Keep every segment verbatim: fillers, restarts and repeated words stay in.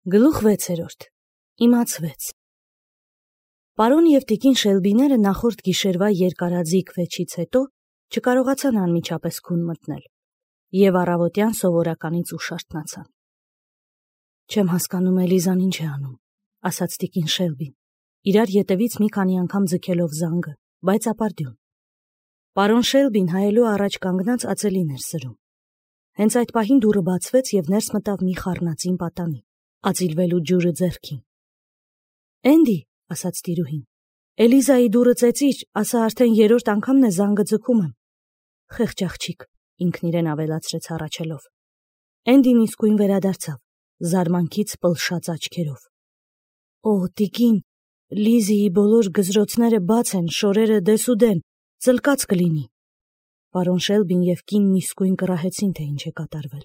Գլուխ վեցերորդ. Իմացվեց. Պարոն և տիկին Շելբիները նախորդ գիշերվա երկարաձիգ վեճից հետո չկարողացան անմիջապես քուն մտնել և առավոտյան սովորականից ուշ արթնացան։ Չեմ հասկանում Էլիզան ինչ է անում, ասաց տիկին Շելբին, իրար ետևից մի քանի անգամ ձգելով զանգը, բայց ապարդյուն։ Պարոն Շելբին հայելու առաջ կանգնած ածելին էր սրում։ Հենց այդ պահին դուռը բացվեց և ներս մտավ մի խառնածին պատանի, ածիլվելու ջուրը ձեռքին։ Էնդի, ասաց տիրուհին, Էլիզայի դուռը ծեծիր, ասա արդեն երրորդ անգամն է զանգը ձգում եմ։ Խեղճ աղջիկ, ինքն իրեն ավելացրեց հառաչելով։ Էնդին իսկույն վերադարձավ, զարմանքից պլշած աչքերով։ Օ, տիկին, Լիզիի բոլոր գզրոցները բաց են, շորերը դեսուդեն, ծլկած կլինի։ Պարոն Շելբին և կինն իսկույն կռահեցին, թե ինչ է կատարվել։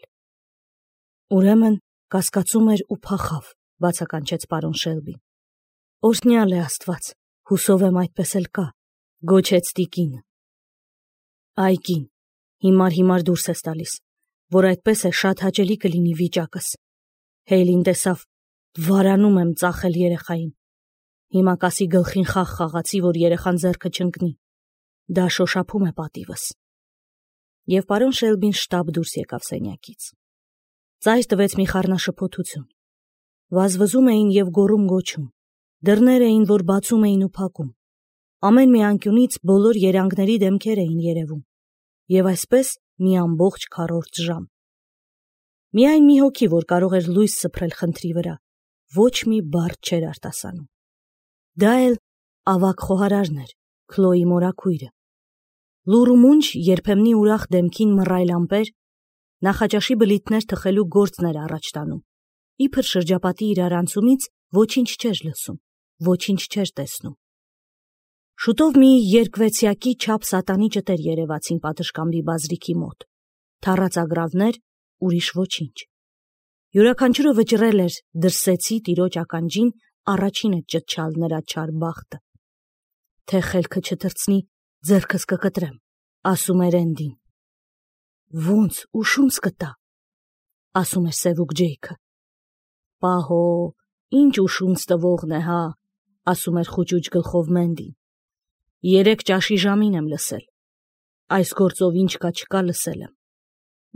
Ուրեմն կասկածում էր ու փախավ, բացականչեց պարոն Շելբին։ Օրհնյալ է Աստված, հուսով եմ այդպես էլ կա, գոչեց տիկինը։ Այ կին, հիմար-հիմար դուրս ես տալիս, որ այդպես է շատ հաճելի կլինի վիճակս։ Հեյլին տեսավ, վարանում եմ ծախել երեխային։ Հիմա կասի գլխին խաղ խաղացի, որ երեխան ձեռքը չընկնի։ Դա շոշափում է պատիվս։ Եվ պարոն Շելբին շտապ դուրս եկավ սենյակից։ Ծայր տվեց մի խառնաշփոթություն։ Վազվզում էին և գոռում-գոչում։ Դռներ էին, որ բացում էին ու փակում։ Ամեն մի անկյունից բոլոր երանգների դեմքեր էին երևում։ Եվ այսպես մի ամբողջ քառորդ ժամ։ Միայն մի հոգի, որ կարող էր լույս սփռել խնդրի վրա, ոչ մի բառ չէր արտասանում։ Դա էլ ավագ խոհարարն էր, Քլոյի մորաքույրը։ Լուռ ու մունջ երբեմնի ուրախ դեմքին մռայլ ամպեր, նախաճաշի բլիթներ թխելու գործն էր առաջ տանում, իբր շրջապատի իրարանցումից ոչինչ չէր լսում, ոչինչ չէր տեսնում։ Շուտով մի երկվեցյակի չափ սատանի ճտեր երևացին պատշգամբի բազրիքի մոտ, թառած ագռավներ, ուրիշ ոչինչ։ Յուրաքանչյուրը վճռել էր դրսեցի տիրոջ ականջին առաջինը ճտչալ նրա չար բախտը։ Թե խելքը չթռցնի, ձեռքս կկտրեմ, ասում էր Էնդին։ Ոնց, ուշումս կտա, ասում էր Սևուկ Ջեյքը։ Պահո, ինչ ուշունց տվողն է, հա, ասում էր խուճուճ գլխով Մենդին։ Երեք ճաշի ժամին եմ լսել։ Այս գործով ինչ կա չկա լսել եմ։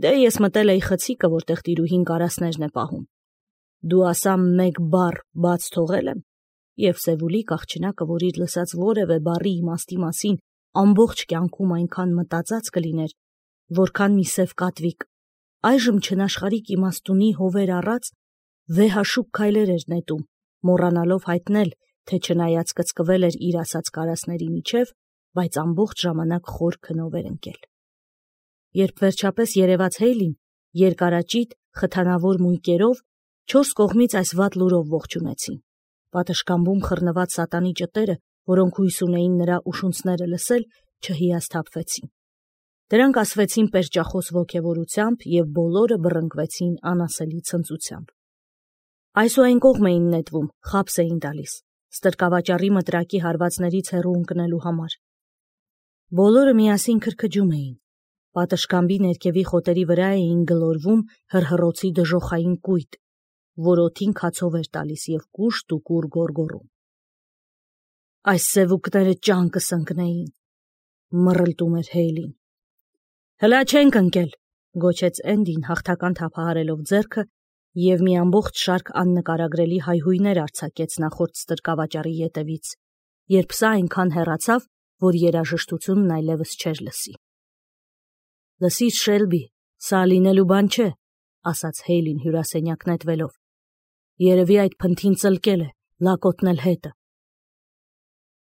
Դե ես մտել էի խցիկը, որտեղ տիրուհին կարասներն է պահում։ Դու ասա մեկ բառ բաց թողել եմ, և Սևուլի աղջնակը, որ իր լսած որևէ բառի իմաստի մասին ամբողջ կյանքում այնքան մտածած կլիներ, որքան մի սև կատվիկ, այժմ չնաշխարհիկ իմաստունի հովեր առած վեհաշուկ քայլեր էր նետում, մոռանալով հայտնել, թե չնայած կծկվել էր իր ասած կարասների միջև, բայց ամբողջ ժամանակ խոր քնով էր ընկել։ Երբ վերջապես երևաց Հեյլին, երկարաճիտ, խթանավոր մույկերով, չորս կողմից այս վատ լուրով ողջունեցին։ Պատշգամբում խռնված սատանի ճտերը, որոնք հույս ունեին նրա ուշունցները լսել, չհիասթափվեցին։ Դրանք ասվեցին պերճախոս ոգևորությամբ և բոլորը բռնկվեցին անասելի ցնծությամբ։ Այս ու այն կողմ էին նետվում, խաբս էին տալիս, ստրկավաճառի մտրակի հարվածներից հեռու ընկնելու համար։ Բոլորը միասին քրքջում էին։ Պատշգամբի ներքևի խոտերի վրա էին գլորվում հռհռոցի դժոխային կույտ, որ օդին քացով էր տալիս և կուշտ ու կուռ գոռգոռում։ Այս սևուկները ճանկս ընկնեին, մռլտում էր Հեյլին։ Հլա չենք ընկել, գոչեց Էնդին հաղթական թափահարելով ձեռքը և մի ամբողջ շարք աննկարագրելի հայհույներ արձակեց նախորդ ստրկավաճառի ետևից, երբ սա այնքան հեռացավ, որ երաժշտությունն այլևս չէր լսի։ Լսիր, Շելբի, սա լինելու բան չէ, ասաց Հեյլին հյուրասենյակ նետվելով։ Երևի այդ փնթին ծլկել է, լակոտնել հետը։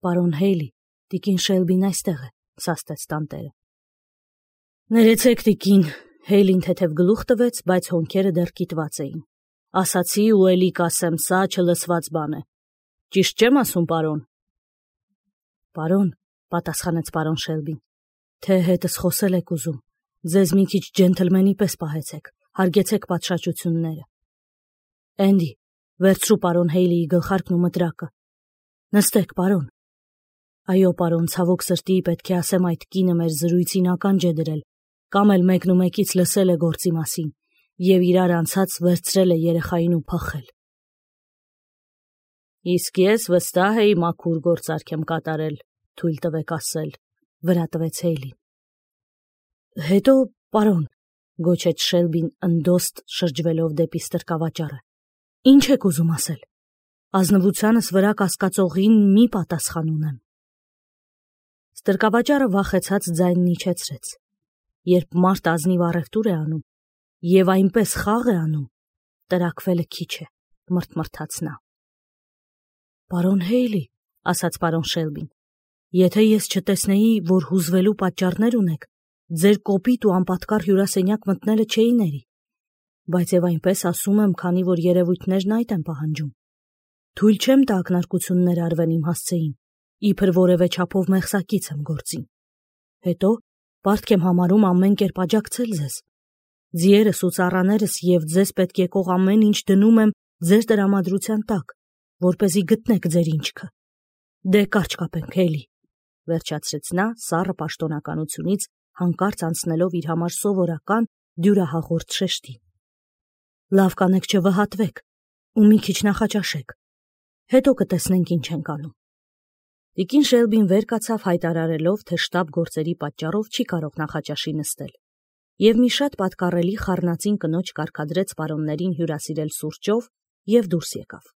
Պարոն Հեյլի, տիկին Շելբին այստեղ է, սաստեց տանտերը։ Ներեցեք, տիկին, Հեյլին թեթև գլուխ տվեց, բայց հոնքերը դեռ կիտված էին։ Ասացի ու էլի կասեմ, սա չլսված բան է։ Ճիշտ չեմ ասում, պարոն։ Պարոն, պատասխանեց պարոն Շելբին, թե հետս խոսել եք ուզում, ձեզ մի քիչ ջենթլմենի պես պահեցեք, հարգեցեք պատշաճությունները։ Էնդի, վերցրու պարոն Հեյլիի գլխարկն ու մտրակը։ Նստեք, պարոն։ Այո, պարոն, ցավոք սրտի պետք է ասեմ, այդ կինը մեր զրույցին ականջ է դրել, կամ էլ մեկն ու մեկից լսել է գործի մասին, և իրար անցած վերցրել է երեխային ու փախել։ Իսկ ես վստահ էի մաքուր գործարք եմ կատարել, թույլ տվեք ասել, վրա տվեց Հեյլին։ Հետո, պարոն, գոչեց Շելբին ընդոստ շրջվելով դեպի ստրկավաճառը։ Ինչ եք ուզում ասել։ Ազնվությանս վրա կասկածողին մի պատասխան ունեմ։ Ստրկավաճառը վախեցած ձայնն իջեցրեց։ Երբ մարդ ազնիվ առևտուր է անում եւ այնպես խաղ է անում, տրաքվելը քիչ է, մրթմրթաց նա։ Պարոն Հեյլի, ասաց պարոն Շելբին, եթե ես չտեսնեի, որ հուզվելու պատճառներ ունեք, ձեր կոպիտ ու անպատկառ հյուրասենյակ մտնելը չէի ների, բայց եւ այնպես ասում եմ, քանի որ երևույթներն այդ են պահանջում։ Թույլ չեմ տա ակնարկություններ արվեն իմ հասցեին, իբր որևէ չափով մեղսակից եմ գործին։ Հետո պարտք եմ համարում ամեն կերպ աջակցել ձեզ։ Ձիերս ու ծառաներս եւ ձեզ պետք եկող ամեն ինչ դնում եմ ձեր տրամադրության տակ, որպեսզի գտնեք ձեր ինչքը։ Դե կարճ կապենք, Հեյլի, վերջացրեց նա սառը պաշտոնականությունից հանկարծ անցնելով իր համար սովորական դյուրահաղորդ շեշտին։ Լավ կանեք չվհատվեք ու մի քիչ նախաճաշեք։ Հետո կտեսնենք ինչ ենք անում։ Տիկին Շելբին վեր կացավ հայտարարելով, թե շտապ գործերի պատճառով չի կարող նախաճաշի նստել, եւ մի շատ պատկառելի խառնածին կնոջ կարգադրեց պարոններին հյուրասիրել սուրճով եւ դուրս եկավ։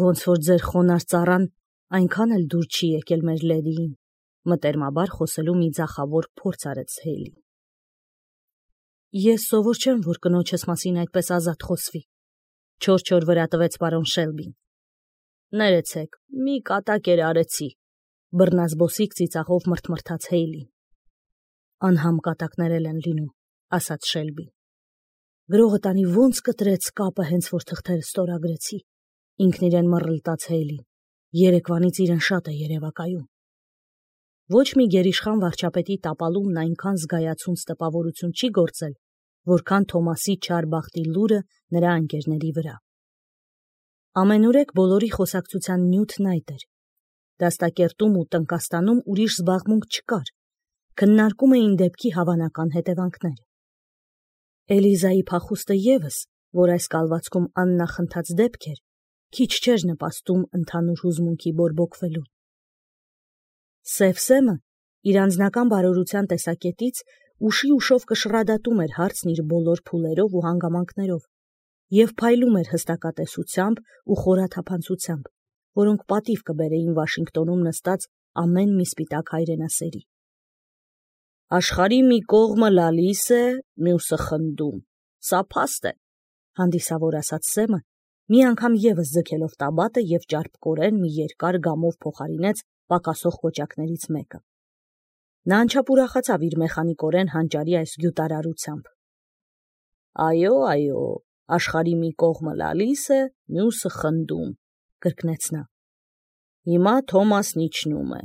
Ոնց որ ձեր խոնար ծառան այնքան էլ դուր չի եկել մեր լեդիին, մտերմաբար խոսելու մի ձախավոր փորձ արեց Հեյլին։ Ես սովոր չեմ, որ կնոջս մասին այդպես ազատ խոսվի, չոր-չոր վրա տվեց պարոն Շելբին։ Ներեցեք, մի կատակեր արեցի, բռնազբոսիկ ծիծաղով մրթմրթաց Հեյլին։ Անհամ կատակներ են լինում, ասաց Շելբին։ Գրողը տանի ոնց կտրեց կապը հենց որ թղթերը ստորագրեցի, ինքն իրեն մռլտաց Հեյլին, երեկվանից իրեն շատ է երևակայում։ Ոչ մի գերիշխան վարչապետի տապալումն այնքան զգայացունց տպավորություն չի գործել, որքան Թոմասի չար բախտի լուրը նրա ընկերների վրա։ Ամենուրեք բոլորի խոսակցության նյութն այդ էր։ Դաստակերտում ու տնկաստանում ուրիշ զբաղմունք չկար, քննարկում էին դեպքի հավանական հետևանքները։ Էլիզայի փախուստը ևս, որ այս կալվածքում աննախընթաց դեպք էր, քիչ չէր նպաստում ընդհանուր հուզմունքի բորբոքվելուն։ Սև Սեմը իր անձնական բարօրության տեսակետից ուշի ուշով կշռադատում էր հարցն իր բոլոր փուլերով ու հանգամանքներով եւ փայլում էր հստակատեսությամբ ու խորաթափանցությամբ, որոնք պատիվ կբերեին Վաշինգտոնում նստած ամեն մի սպիտակ հայրենասերի։ Աշխարհի մի կողմը լալիս է, մյուսը խնդում, սա փաստ է, հանդիսավոր ասաց Սեմը, մի անգամ եւս ձգելով տաբատը եւ ճարպկորեն մի երկար գամով փոխարինեց պակասող կոճակներից մեկը։ Նա անչափ ուրախացավ իր մեխանիկորեն հանճարի այս գյուտարարությամբ։ Այո, այո, աշխարհի մի կողմը լալիս է, մյուսը խնդում, կրկնեց նա։ Հիմա Թոմասն իջնում է,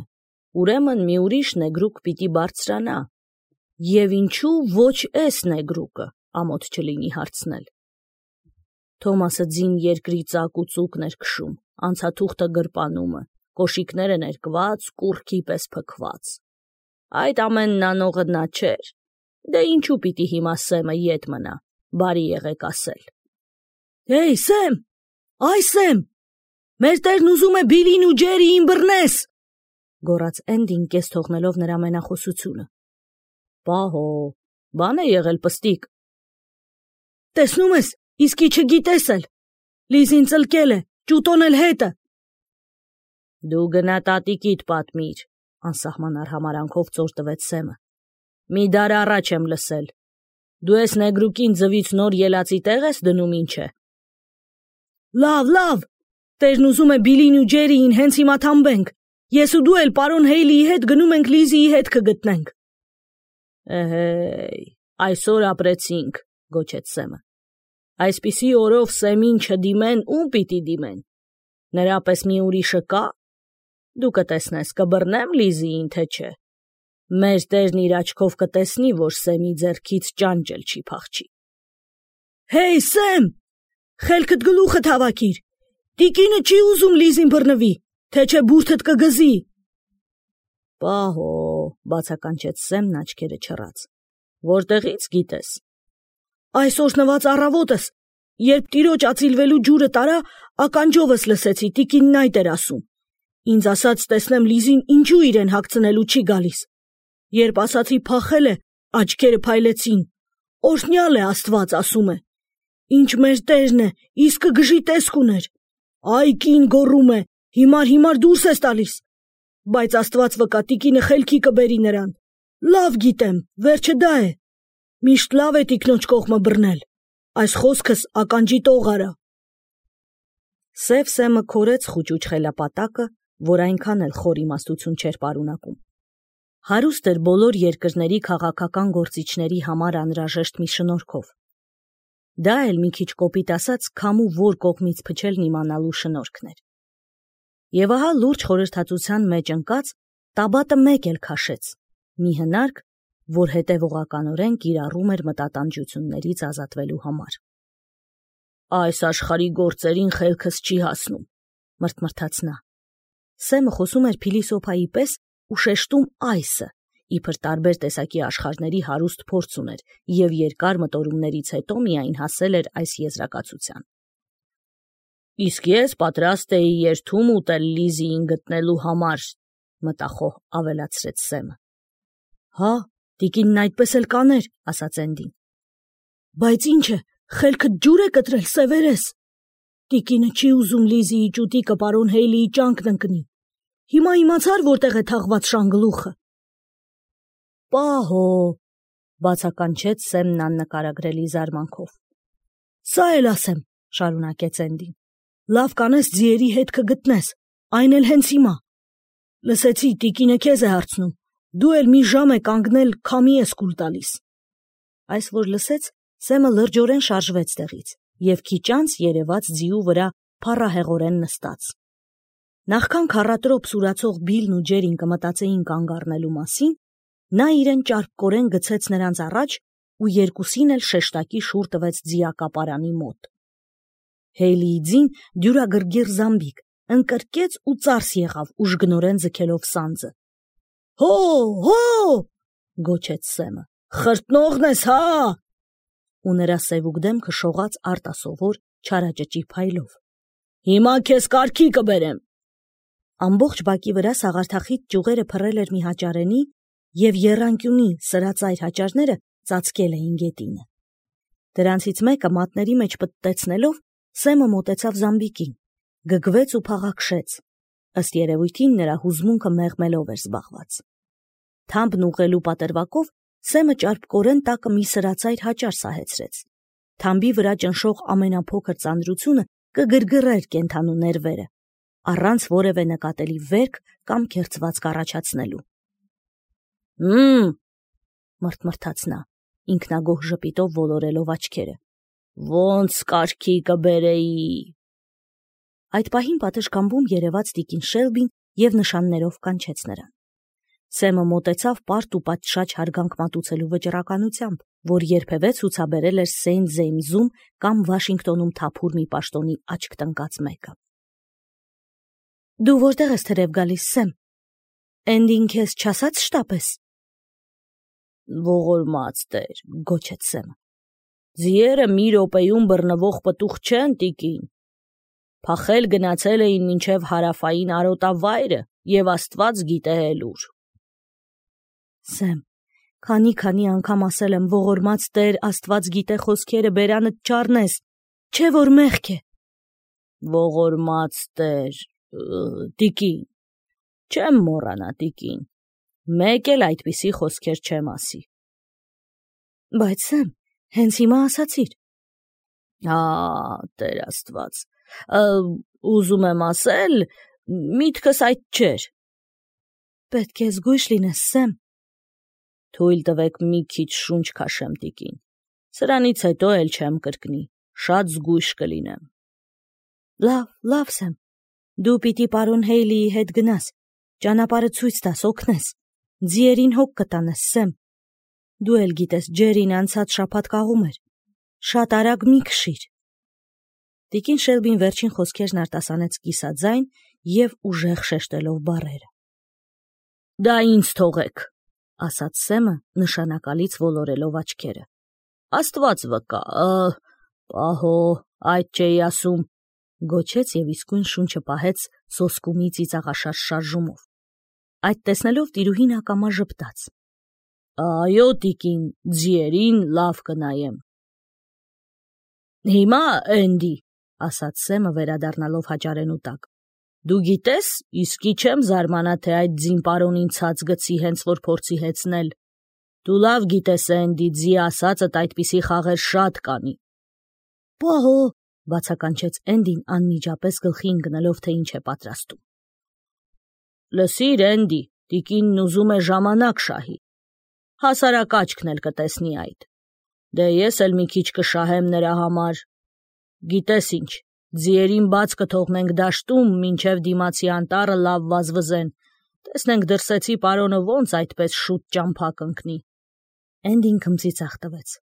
ուրեմն մի ուրիշ նեգրուկ պիտի բարձրանա, եւ ինչու ոչ էս նեգրուկը, ամոթ չլինի հարցնել։ Թոմասը ձին երկրի ծակ ու ծուկն էր քշում, անցաթուղթը գրպանումը, կոշիկները ներկված, կուռքի պես փքված։ Այդ ամենն անողը նա չէր, դե ինչու պիտի հիմա Սեմը ետ մնա, բարի եղեք ասել։ Հեյ, Սեմ, այ Սեմ, մեր տերն ուզում է Բիլին ու Ջերիին բռնես, գոռաց Էնդին կես թողնելով նրա մենախոսությունը։ Պահո, բան է եղել պստիկ։ Տեսնում ես, իսկի չգիտես էլ, Լիզին ծլկել է, ճուտոն էլ հետը։ Դու գնա տատիկիդ պատմիր, անսահման արհամարանքով ծոր տվեց Սեմը։ Մի դար առաջ եմ լսել։ Դու ես նեգրուկին ձվից նոր ելածի տեղ ես դնում ինչ է։ Լավ, լավ, տերն ուզում է Բիլին ու Ջերիին հենց հիմա թամբենք, ես ու դու էլ պարոն Հեյլիի հետ գնում ենք Լիզիի հետ կգտնենք։ Էհեյ, այսօր ապրեցինք, գոչեց Սեմը։ Այսպիսի օրով Սեմին չդիմեն, ում պիտի դիմեն։ Նրա պես մի ուրիշը կա։ Դու կտեսնես, կբռնեմ Լիզիին, թե չէ։ Մեր տերն իր աչքով կտեսնի, որ Սեմի ձեռքից ճանճել չի փախչի։ Հեյ, Սեմ, խելքդ գլուխդ հավաքիր։ Տիկինը չի ուզում Լիզին բռնվի, թե չէ բուրդդ կգզի։ Պահո, բացականչեց Սեմն աչքերը չռած։ Որտեղից գիտես։ Այս օրհնված առավոտս, երբ տիրոջ ածիլվելու ջուրը տարա, ականջովս լսեցի, տիկինն այդ էր ասում։ Ինձ ասաց տեսնեմ Լիզին ինչու իրեն հագցնելու չի գալիս։ Երբ ասացի փախել է, աչքերը փայլեցին։ Օրհնյալ է Աստված, ասում է։ Ինչ մեր տերն է, իսկը գժի տեսք ուներ։ Այ կին գոռում է, հիմար-հիմար դուրս ես տալիս։ Բայց Աստված վկա, տիկինը խելքի կբերի նրան։ Լավ գիտեմ, վերջը դա է։ Միշտ լավ է տիկնոջ կողմը բռնել։ Այս խոսքս ականջի տող արա։ Սև Սեմը քորեց խուճուճ խելապատակը, որ այնքան էլ խոր իմաստություն չէր պարունակում։ Հարուստ էր բոլոր երկրների քաղաքական գործիչների համար անհրաժեշտ մի շնորհքով։ Դա էլ մի քիչ կոպիտ ասած քամու որ կողմից փչելն իմանալու շնորհքն էր։ Եվ ահա լուրջ խորհրդածության մեջ ընկած տաբատը մեկ էլ քաշեց, մի հնարք, որ հետևողականորեն կիրառում էր մտատանջություններից ազատվելու համար։ Այս աշխարհի գործերին խելքս չի հասնում, մրթմրթաց նա։ Սեմը խոսում էր փիլիսոփայի պես ու շեշտում այսը, իբր տարբեր տեսակի աշխարհների հարուստ փորձ ուներ և երկար մտորումներից հետո միայն հասել էր այս եզրակացության։ Իսկ ես պատրաստ էի երթում ուտել Լիզիին գտնելու համար, մտախոհ ավելացրեց Սեմը։ Հա, տիկինն այդպես էլ կաներ, ասաց Էնդին։ Բայց ինչ է, խելքդ ջուր է կտրել, սևերես։ Տիկինը չի ուզում Լիզիի ճուտիկը պարոն Հեյլիի ճանկն ընկնի։ Հիմա իմացար որտեղ է թաղված շանգլուխը։ Պահո, բացականչեց Սեմն աննկարագրելի զարմանքով։ Սա էլ ասեմ, շարունակեց Էնդին։ Լավ կանես ձիերի հետքը գտնես, այն էլ հենց հիմա։ Լսեցի, տիկինը քեզ է հարցնում, դու էլ մի ժամ է կանգնել, քամի ես կուլ տալիս։ Այս որ լսեց, Սեմը լրջորեն շարժվեց տեղից և քիչ անց երևաց ձիու վրա փառահեղորեն նստած։ Նախքան քառատրոփ սուրացող Բիլն ու Ջերին կմտածեին կանգ առնելու մասին, նա իրեն ճարպկորեն գցեց նրանց առաջ ու երկուսին էլ շեշտակի շուռ տվեց ձիակապարանի մոտ։ Հեյլիի ձին դյուրագրգիռ զամբիկ ընկրկեց ու ծարս եղավ ուժգնորեն ձգելով սանձը։ Հո, հո, գոչեց Սեմը, խրտնողն ես, հա։ Ու նրա սևուկ դեմքը շողաց արտասովոր չարաճճի փայլով։ Հիմա քեզ կարգի կբերեմ։ Ամբողջ բակի վրա սաղարթախիտ ճյուղերը փռել էր մի հաճարենի և եռանկյունի սրածայր հաճարները ծածկել էին գետինը։ Դրանցից մեկը մատների մեջ պտտեցնելով Սեմը մոտեցավ զամբիկին, գգվեց ու փաղաքշեց։ Ըստ երևույթին նրա հուզմունքը մեղմելով էր զբաղված։ Թամբն ուղղելու պատրվակով Սեմը ճարպկորեն տակը մի սրածայր հաճար սահեցրեց։ Թամբի վրա ճնշող ամենափոքր ծանրությունը կգրգռեր կենդանու ներվերը, առանց որևէ նկատելի վերք կամ քերծվածք առաջացնելու։ Հմ, մրթմրթաց նա, ինքնագոհ ժպիտով ոլորելով աչքերը։ Ոնց կարգի կբերեի։ Այդ պահին պատշգամբում երևաց տիկին Շելբին և նշաններով կանչեց նրան։ Սեմը մոտեցավ պարտ ու պատշաճ հարգանք մատուցելու վճռականությամբ, որ երբևէ ցուցաբերել էր Սեյնթ Ջեյմսում կամ Վաշինգտոնում թափուր մի պաշտոնի աչք տնկած մեկը։ Դու որտեղ ես թրև գալիս, Սեմ։ Էնդին քեզ չասաց շտապես։ Ողորմած տեր, գոչեց Սեմը։ Ձիերը մի րոպեում բռնվող պտուղ չեն, տիկին։ Փախել գնացել էին մինչև հարավային արոտավայրը և Աստված գիտե էլ ուր։ Սեմ, քանի-քանի անգամ ասել եմ ողորմած տեր, Աստված գիտե խոսքերը բերանդ չառնես, չէ որ մեղք է։ Ողորմած տեր, տիկին, չեմ մոռանա, տիկին, մեկ էլ այդպիսի խոսքեր չեմ ասի։ Բայց Սեմ, հենց հիմա ասացիր։ Հա, Տեր Աստված, ուզում եմ ասել, միտքս այդ չէր։ Պետք է զգույշ լինես, Սեմ։ Թույլ տվեք մի քիչ շունչ քաշեմ, տիկին։ Սրանից հետո էլ չեմ կրկնի, շատ զգույշ կլինեմ։ Լավ, լավ, Սեմ, դու պիտի պարոն Հեյլիի հետ գնաս, ճանապարհը ցույց տաս, օգնես, ձիերին հոգ կտանես, Սեմ։ Դու էլ գիտես, Ջերին անցած շաբաթ կաղում էր, շատ արագ մի քշիր։ Տիկին Շելբին վերջին խոսքերն արտասանեց կիսաձայն և ուժեղ շեշտելով բառերը։ Դա ինձ թողեք, ասաց Սեմը նշանակալից ոլորելով աչքերը։ Աստված վկա, պահո, այդ չէի ասում, Գոչեց եւ իսկույն շունչը պահեց սոսկումի ծիծաղաշարժ շարժումով։ Այդ տեսնելով տիրուհին ակամա ժպտաց։ Այո, տիկին, ձիերին լավ կնայեմ։ Հիմա, Էնդի, ասաց Սեմը վերադառնալով հաճարենու տակ, դու գիտես, իսկի չեմ զարմանա, թե այդ ձին պարոնին ցած գցի հենց որ փորձի հեծնել։ Դու լավ գիտես, Էնդի, ձի ասածդ այդպիսի խաղեր շատ կանի։ Պահո, բացականչեց Էնդին անմիջապես գլխի ընկնելով, թե ինչ է պատրաստում։ Լսիր, Էնդի, տիկինն ուզում է ժամանակ շահի։ Հասարակաչքն էլ կտեսնի այդ։ Դե ես էլ մի քիչ կշահեմ նրա համար։ Գիտես ինչ, ձիերին բաց կթողնենք դաշտում, մինչև դիմացի անտառը լավ վազվզեն։ Տեսնենք դրսեցի պարոնը ոնց այդպես շուտ ճամփա կընկնի։ Էնդին քմծիծաղ տվեց։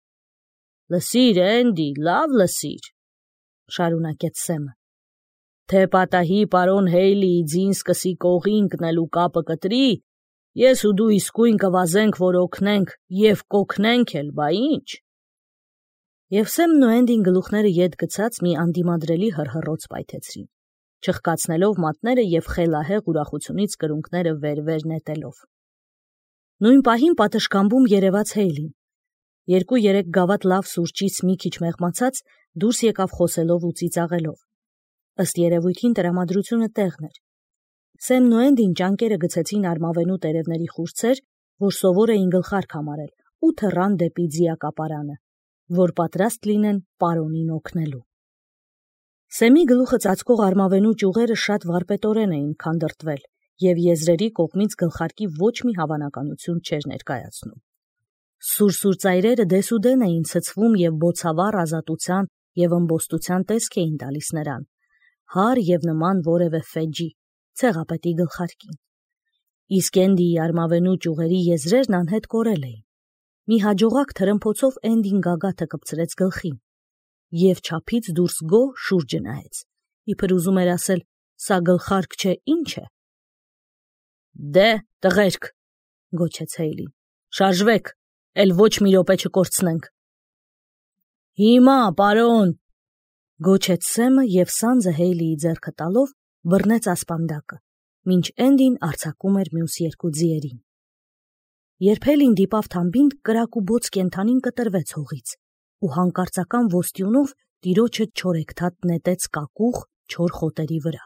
Լսիր, Էնդի, լավ լսիր, շարունակեց Սեմը։ Թե պատահի պարոն Հեյլիի ձին սկսի կողի ընկնելու կապը կտրի, ես ու դու իսկույն կվազենք, որ օգնենք եւ կօգնենք էլ, բա ինչ։ Եվ Սեմն ու Էնդին գլուխները ետ գցած մի անդիմադրելի հռհռոց պայթեցրին, չխկացնելով մատները եւ խելահեղ ուրախությունից կրունկները վեր-վեր նետելով։ Նույն պահին պատշգամբում երևաց Հեյլին։ Երկու-երեք գավաթ լավ սուրճից մի քիչ մեղմացած դուրս եկավ խոսելով ու ծիծաղելով։ Ըստ երևույթին տրամադրությունը տեղն էր։ Սեմն ու Էնդին ճանկերը գցեցին արմավենու տերևների խուրձեր, որ սովոր էին գլխարկ համարել, ու թռան դեպի ձիակապարանը, որ պատրաստ լինեն պարոնին օգնելու։ Սեմի գլուխը ծածկող արմավենու ճյուղերը շատ վարպետորեն էին քանդրտվել, եւ եզրերի կողմից գլխարկի ոչ մի հավանականություն չէր ներկայացնում։ Սուր-սուր ծայրերը դեսուդեն էին ցցվում եւ բոցավառ ազատության եւ ըմբոստության տեսք էին տալիս նրան, հար եւ նման որևէ ֆեջի, ցեղապետի գլխարկին։ Իսկ Էնդիի արմավենու ճյուղերի եզրերն անհետ կորել էին։ Մի հաջողակ թրմփոցով Էնդին գագաթը կպցրեց գլխին եւ չափից դուրս գոհ շուրջը նայեց, իբր ուզում էր ասել, սա գլխարկ չէ, ինչ է։ Դե, տղերք, գոչեց Հեյլին, շարժվեք, էլ ոչ մի րոպե չկորցնենք։ Հիմա, պարոն, գոչեց Սեմը եւ սանձը Հեյլիի ձեռքը տալով բռնեց ասպանդակը, մինչ Էնդին արձակում էր մյուս երկու ձիերին։ Երբ Հեյլին դիպավ թամբին, կրակ ու բոց կենթանին կտրվեց հողից ու հանկարծական ոստյունով տիրոջը չորեքթաթ նետեց կակուղ չոր խոտերի վրա։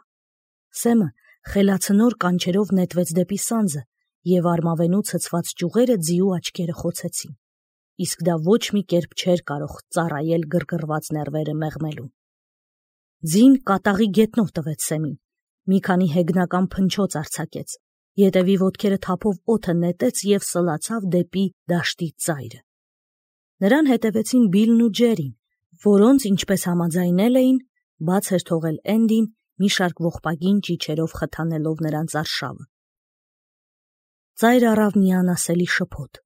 Սեմը խելացնոր կանչերով նետվեց դեպի սանձը եւ արմավենու ցցված ճյուղերը ձիու աչքերը խոցեցին, իսկ դա ոչ մի կերպ չէր կարող ծառայել գրգռված ներվերը մեղմելու։ Ձին կատաղի գետնով տվեց Սեմին, մի քանի հեգնական փնչոց արձակեց, ետևի ոտքերը թափով օդը նետեց եւ սլացավ դեպի դաշտի ծայրը։ Նրան հետևեցին Բիլն ու Ջերին, որոնց, ինչպես համաձայնել էին, բաց էր թողել Էնդին մի շարք ողբագին ճիչերով խթանելով նրանց արշավը։ Ծայր առավ մի անասելի շփոթ։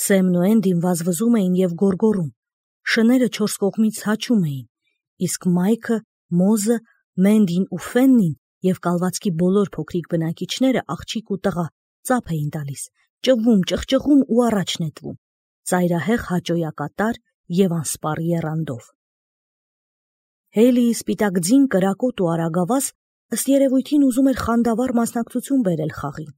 Սեմն ու Էնդին վազվզում էին եւ գոռգոռում, շները չորս կողմից հաչում էին, իսկ Մայքը, Մոզը, Մենդին ու Ֆեննին եւ կալվածքի բոլոր փոքրիկ բնակիչները աղջիկ ու տղա ծափ էին տալիս, ճղվում, ճղճղում ու առաջ նետվում, ծայրահեղ հաճոյակատար եւ անսպառ եռանդով։ Հեյլիի սպիտակ ձին կրակոտ ու արագավազ ըստ երևույթին ուզում էր խանդավառ մասնակցություն բերել խաղին։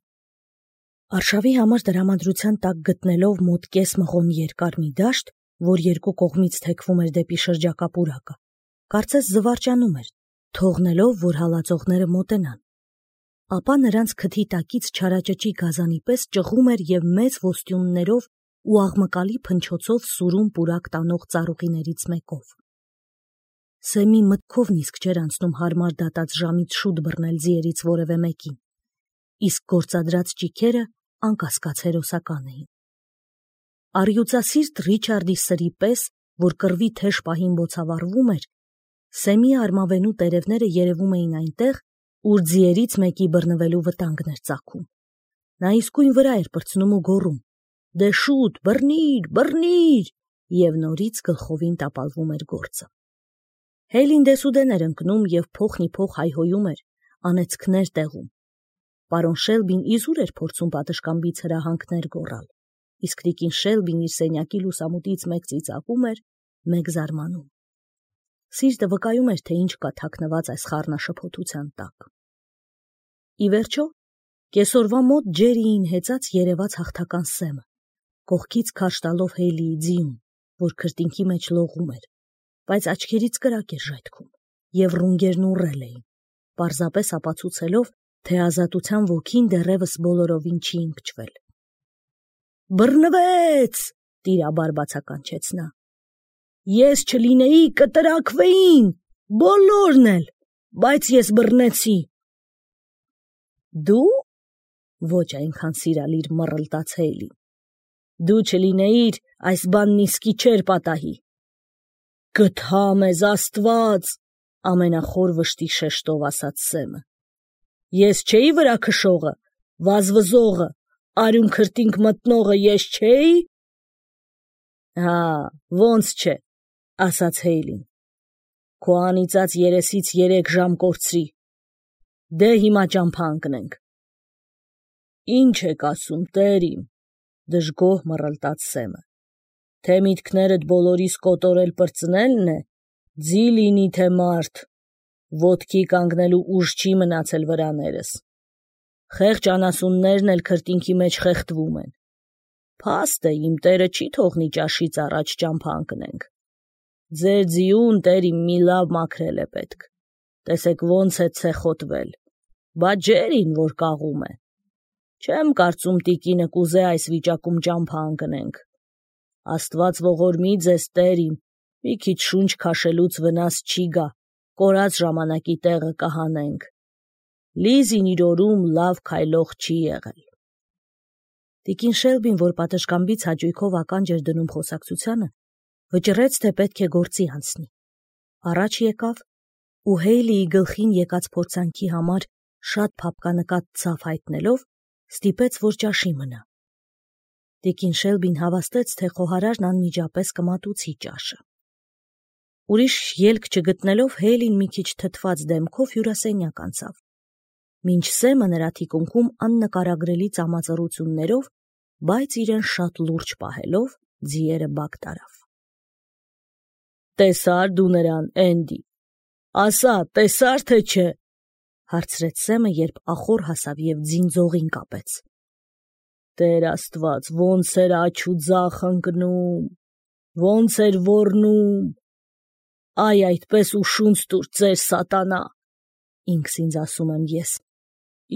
Արշավի համար դրամատրության տակ գտնելով մոտ կես մղոն երկար մի դաշտ, որ երկու կողմից թեքվում էր դեպի շրջակա պուրակը, կարծես զվարճանում էր, թողնելով, որ հալածողները մոտենան։ Ապա նրանց քթի տակից չարաճճի գազանի պես ճղում էր եւ մեծ ոստյուններով ու աղմկալի փնչոցով սուրում պուրակ տանող ծառուղիներից մեկով։ Սեմի մտքովն իսկ չէր անցնում հարմար դատած ժամից շուտ բռնել ձիերից որևէ մեկին, իսկ գործադրած ճիքերը անկասկած հերոսական էին։ Առյուծասիրտ Ռիչարդի սրի պես, որ կռվի թեժ պահին բոցավառվում էր, Սեմի արմավենու տերևները երևում էին այնտեղ, ուր ձիերից մեկի բռնվելու վտանգն էր ծագում։ Նա իսկույն վրա էր պրծնում ու գոռում. «Դե շուտ, բռնիր, բռնիր!» եւ նորից գլխովին տապալվում էր գործը։ Հեյլին դեսուդեն էր ընկնում եւ փոխնիփոխ հայհոյում էր, անեծքներ տեղում։ Պարոն Շելբին իզուր էր փորձում պատշգամբից հրահանգներ գոռալ, իսկ տիկին Շելբին իր սենյակի լուսամուտից մեկ ծիծաղում էր, մեկ զարմանում։ Սիրտը վկայում էր, թե ինչ կա թաքնված այս խառնաշփոթության տակ։ Ի վերջո, կեսօրվա մոտ Ջերիին հեծած երևաց հաղթական սեմը, կողքից քարշ տալով Հեյլիի ձիուն, որ քրտինքի մեջ լողում էր, բայց աչքերից կրակ էր ժայթքում, և ռունգերն ուռել էին, պարզապես ապացուցելով, թե ազատության ոգին դեռևս բոլորովին չի ընկճվել։ «Բռնվեց!» տիրաբար բացականչեց նա։ «Ես չլինեի, կտրաքվեին, բոլորն էլ, բայց ես բռնեցի»։ «Դու»։ Ոչ այնքան սիրալիր մռլտաց Հեյլին։ «Դու չլինեիր, այս բանն իսկի չէր պատահի»։ «Գթա մեզ Աստված», ամենախոր վշտի շեշտով ասաց Սեմը։ «Ես չէի վրա քշողը, վազվզողը, արյուն քրտինք մտնողը ես չէի»։ «Հա, ոնց չէ», ասաց Հեյլին։ «Քո անիծած երեսից երեք ժամ կորցրի։ Դե հիմա ճամփա ընկնենք»։ «Ինչ եք ասում, տեր իմ», դժգոհ մռլտաց Սեմը։ «Թե միտքներդ բոլորիս կոտորել պրծնելն է, ձի լինի թե մարդ, ոտքի կանգնելու ուժ չի մնացել վրաներս։ Խեղճ անասուններն էլ քրտինքի մեջ խեղդվում են։ Փաստ է, իմ տերը չի թողնի ճաշից առաջ ճամփա ընկնենք։ Ձեր ձիուն, տեր իմ, մի լավ մաքրել է պետք։ Տեսեք ոնց է ցեխոտվել, բա Ջերին որ կաղում է։ Չեմ կարծում տիկինը կուզե այս վիճակում ճամփա ընկնենք։ Աստված ողորմի ձեզ, տեր իմ, մի քիչ շունչ քաշելուց վնաս չի գա, կորած ժամանակի տեղը կհանենք։ Լիզին իր օրում լավ քայլող չի եղել»։ Տիկին Շելբին, որ պատշգամբից հաճույքով ականջ էր դնում խոսակցությանը, վճռեց, թե պետք է գործի անցնի։ Առաջ եկավ ու Հեյլիի գլխին եկած փորձանքի համար շատ փափկանկատ ցավ հայտնելով, ստիպեց, որ ճաշի մնա։ Տիկին Շելբին հավաստեց, թե խոհարարն անմիջապես կմատուցի ճաշը։ Ուրիշ ելք չգտնելով, Հեյլին մի քիչ թթված դեմքով հյուրասենյակ անցավ, մինչ Սեմը նրա թիկունքում աննկարագրելի ծամածռություններով, բայց իրեն շատ լուրջ պահելով, ձիերը բակ տարավ։ «Տեսա՞ր դու նրան, Էնդի, ասա, տեսա՞ր թե չէ», հարցրեց Սեմը, երբ ախոր հասավ և ձին ձողին կապեց։ «Տեր Աստված, ոնց էր աջ ու ձախ ընկնում, ոնց էր ոռնում, այ այդպես ուշունց տուր ծեր սատանա, ինքս ինձ ասում եմ ես։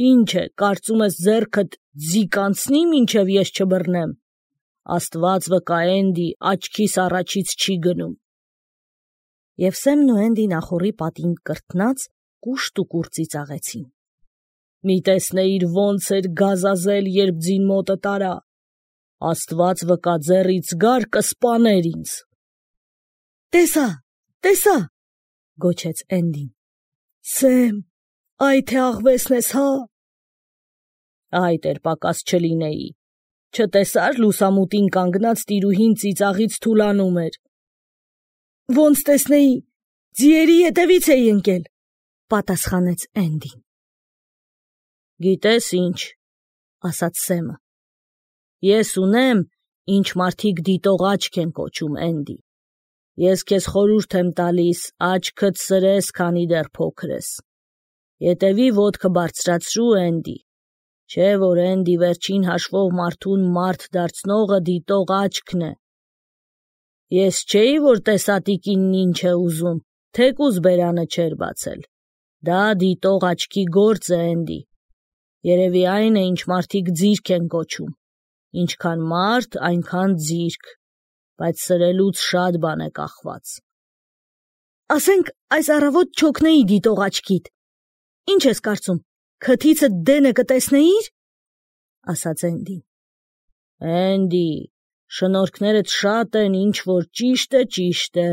Ինչ է, կարծում ես ձեռքդ ձի կանցնի, մինչև ես չբռնեմ։ Աստված վկա, Էնդի, աչքիս առաջից չի գնում»։ Եվ Սեմն ու Էնդին ախորի պատին կրթնած կուշտ ու կուռ ծիծաղեցին։ «Մի տեսնեիր ոնց էր գազազել, երբ ձին մոտը տարա։ Աստված վկա, ձեռից գար կսպաներ ինձ»։ «Տեսա, տեսա», գոչեց Էնդին։ «Սեմ, այ թե աղվեսն ես, հա»։ «Այդ էր պակաս չլինեի։ Չտեսա՞ր լուսամուտին կանգնած տիրուհին ծիծաղից թուլանում էր»։ «Ոնց տեսնեի, ձիերի ետևից էի ընկել», պատասխանեց Էնդին։ «Գիտես ինչ», ասաց Սեմը, «ես ունեմ, ինչ մարդիկ դիտող աչք են կոչում, Էնդի։ Ես քեզ խորհուրդ եմ տալիս, աչքդ սրես, քանի դեռ փոքր ես։ Ետևի ոտքը բարձրացրու, Էնդի, չէ որ Էնդի վերջին հաշվով մարդուն մարդ դարձնողը դիտող աչքն է։ Ես չէի, որ տեսա տիկինն ինչ է ուզում, թեկուզ բերանը չէր բացել։ Դա դիտող աչքի գործ է, Էնդի։ Երևի այն է, ինչ մարդիկ ձիրք են կոչում։ Ինչքան մարդ, այնքան ձիրք, բայց սրելուց շատ բան է կախված»։ «Ասենք, այս առավոտ չօգնեի դիտող աչքիդ, ինչ ես կարծում, քթիցդ դենը կտեսնեիր», ասաց Էնդին։ «Էնդի, շնորհքներդ շատ են, ինչ որ ճիշտ է, ճիշտ է։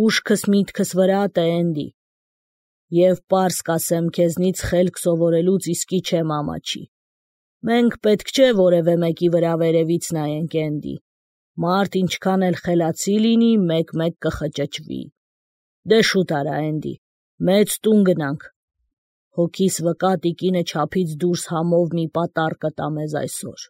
Ուշքս միտքս վրատ է, Էնդի։ Եվ պարզ կասեմ, քեզնից խելք սովորելուց իսկի չեմ ամաչի։ Մենք պետք չէ որևէ մեկի վրա վերևից նայենք, Էնդի։ Մարդ ինչքան էլ խելացի լինի, մեկ-մեկ կխճճվի։ Դե շուտ արա, Էնդի, մեծ տուն գնանք։ Հոգիս վկա, տիկինը չափից դուրս համով մի պատառ կտա մեզ այսօր»։